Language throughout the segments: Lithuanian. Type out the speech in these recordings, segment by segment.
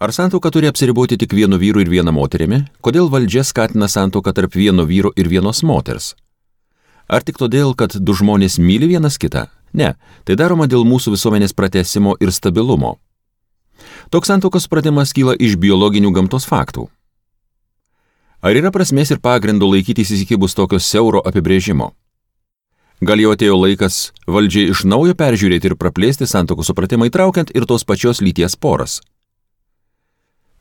Ar santuoka turi apsiriboti tik vienu vyru ir viena moterimi? Kodėl valdžia skatina santuoką tarp vieno vyro ir vienos moters? Ar tik todėl, kad du žmonės myli vienas kitą? Ne, tai daroma dėl mūsų visuomenės pratęsimo ir stabilumo. Toks santuokos supratimas kyla iš biologinių gamtos faktų. Ar yra prasmės ir pagrindo laikytis įsikibus tokio siauro apibrėžimo? Gal jau atėjo laikas valdžiai iš naujo peržiūrėti ir praplėsti santuokos supratimą, įtraukiant ir tos pačios lyties poras?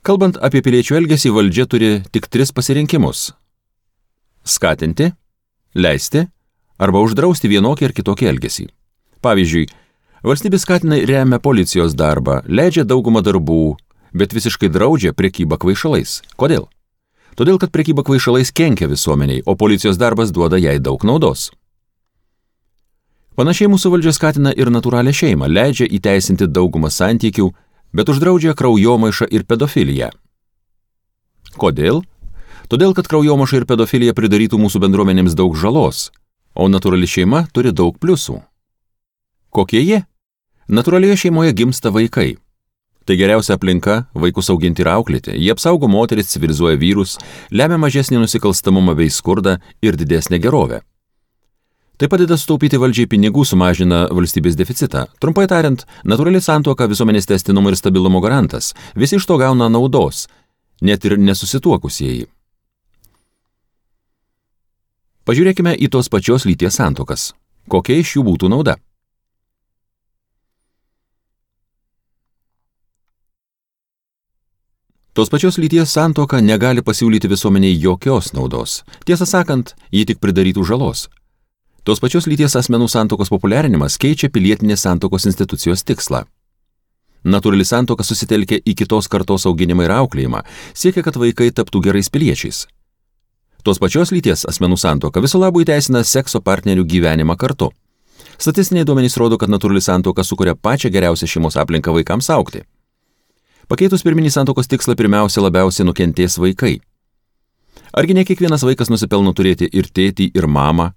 Kalbant apie piliečių elgesį, valdžia turi tik 3 pasirinkimus: skatinti, leisti arba uždrausti vienokį ar kitokį elgesį. Pavyzdžiui, valstybė skatina ir remia policijos darbą, leidžia daugumą darbų, bet visiškai draudžia prekybą kvaišalais. Kodėl? Todėl, kad prekyba kvaišalais kenkia visuomeniai, o policijos darbas duoda jai daug naudos. Panašiai mūsų valdžia skatina ir natūralią šeimą, leidžia įteisinti daugumą santykių, bet uždraudžia kraujomaišą ir pedofiliją. Kodėl? Todėl, kad kraujomaiša ir pedofilija pridarytų mūsų bendruomenėms daug žalos, o natūrali šeima turi daug pliusų. Kokie jie? Natūralioje šeimoje gimsta vaikai. Tai geriausia aplinka vaikus auginti ir auklėti. Jie apsaugo moteris, civilizuoja vyrus, lemia mažesnį nusikalstamumą bei skurdą ir didesnę gerovę. Tai padeda sutaupyti valdžiai pinigų, sumažina valstybės deficitą. Trumpai tariant, natūrali santuoka visuomenės tęstinumo ir stabilumo garantas. Visi iš to gauna naudos, net ir nesusituokusieji. Pažiūrėkime į tos pačios lyties santuokas. Kokia iš jų būtų nauda? Tos pačios lyties santuoka negali pasiūlyti visuomeniai jokios naudos. Tiesą sakant, ji tik pridarytų žalos. Tos pačios lyties asmenų santuokos populiarinimas keičia pilietinės santuokos institucijos tikslą. Natūrali santuoka susitelkia į kitos kartos auginimą ir auklėjimą, siekia, kad vaikai taptų gerais piliečiais. Tos pačios lyties asmenų santuoka viso labo įteisina sekso partnerių gyvenimą kartu. Statistiniai duomenys rodo, kad natūrali santuoka sukuria pačią geriausią šeimos aplinką vaikams augti. Pakeitus pirminį santuokos tikslą, pirmiausia labiausiai nukentės vaikai. Argi ne kiekvienas vaikas nusipelno turėti ir tėtį, ir mamą?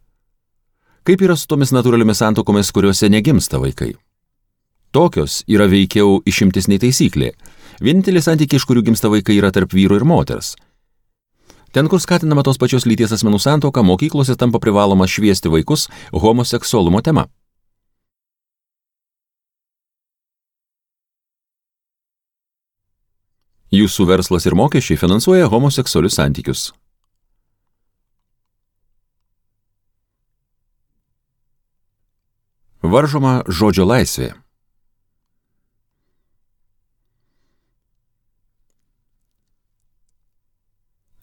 Kaip yra su tomis natūraliomis santuokomis, kuriuose negimsta vaikai? Tokios yra veikiau išimtis nei taisyklė. Vienintelė santykiai, iš kurių gimsta vaikai, yra tarp vyro ir moters. Ten, kur skatinama tos pačios lyties asmenų santuoka, mokyklose tampa privaloma šviesti vaikus homoseksualumo tema. Jūsų verslas ir mokesčiai finansuoja homoseksualius santykius. Varžoma žodžio laisvė.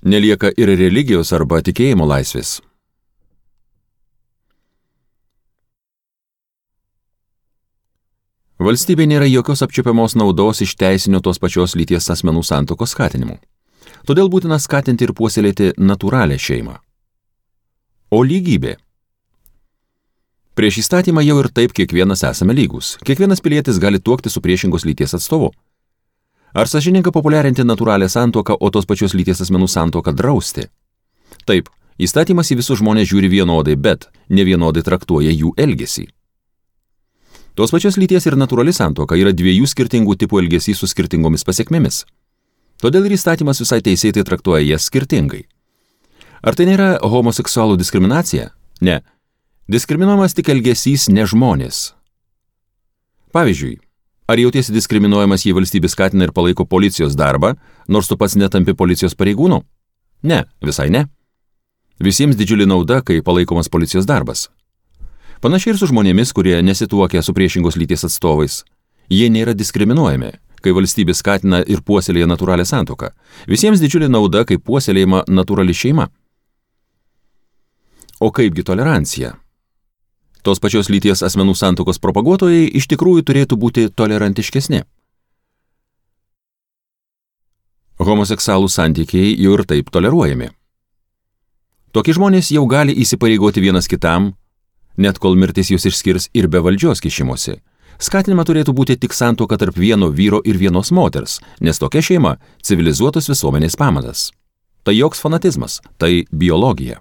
Nelieka ir religijos arba tikėjimo laisvės. Valstybė nėra jokios apčiuopiamos naudos iš teisinio tos pačios lyties asmenų santuokos skatinimų. Todėl būtina skatinti ir puoselėti natūralią šeimą. O lygybė. Prieš įstatymą jau ir taip kiekvienas esame lygus. Kiekvienas pilietis gali tuokti su priešingos lyties atstovu. Ar sąžininga populiarinti natūralią santuoką, o tos pačios lyties asmenų santuoką drausti? Taip, įstatymas į visus žmonės žiūri vienodai, bet nevienodai traktuoja jų elgesį. Tos pačios lyties ir natūrali santuoka yra 2 skirtingų tipų elgesys su skirtingomis pasiekmėmis. Todėl ir įstatymas visai teisėtai traktuoja jas skirtingai. Ar tai nėra homoseksualų diskriminacija? Ne. Diskriminuojamas tik elgesys, ne žmonės. Pavyzdžiui, ar jautiesi diskriminuojamas, jei valstybė skatina ir palaiko policijos darbą, nors tu pats netampi policijos pareigūnu? Ne, visai ne. Visiems didžiulė nauda, kai palaikomas policijos darbas. Panašiai ir su žmonėmis, kurie nesituokia su priešingos lyties atstovais. Jie nėra diskriminuojami, kai valstybė skatina ir puoselėja natūralią santuoką. Visiems didžiulė nauda, kai puoselėjama natūrali šeima. O kaipgi tolerancija? Tos pačios lyties asmenų santuokos propaguotojai iš tikrųjų turėtų būti tolerantiškesni. Homoseksualų santykiai jau ir taip toleruojami. Tokie žmonės jau gali įsipareigoti vienas kitam, net kol mirtis jūs išskirs ir be valdžios kišimosi. Skatinima turėtų būti tik santuoka tarp vieno vyro ir vienos moters, nes tokia šeima civilizuotos visuomenės pamatas. Tai joks fanatizmas, tai biologija.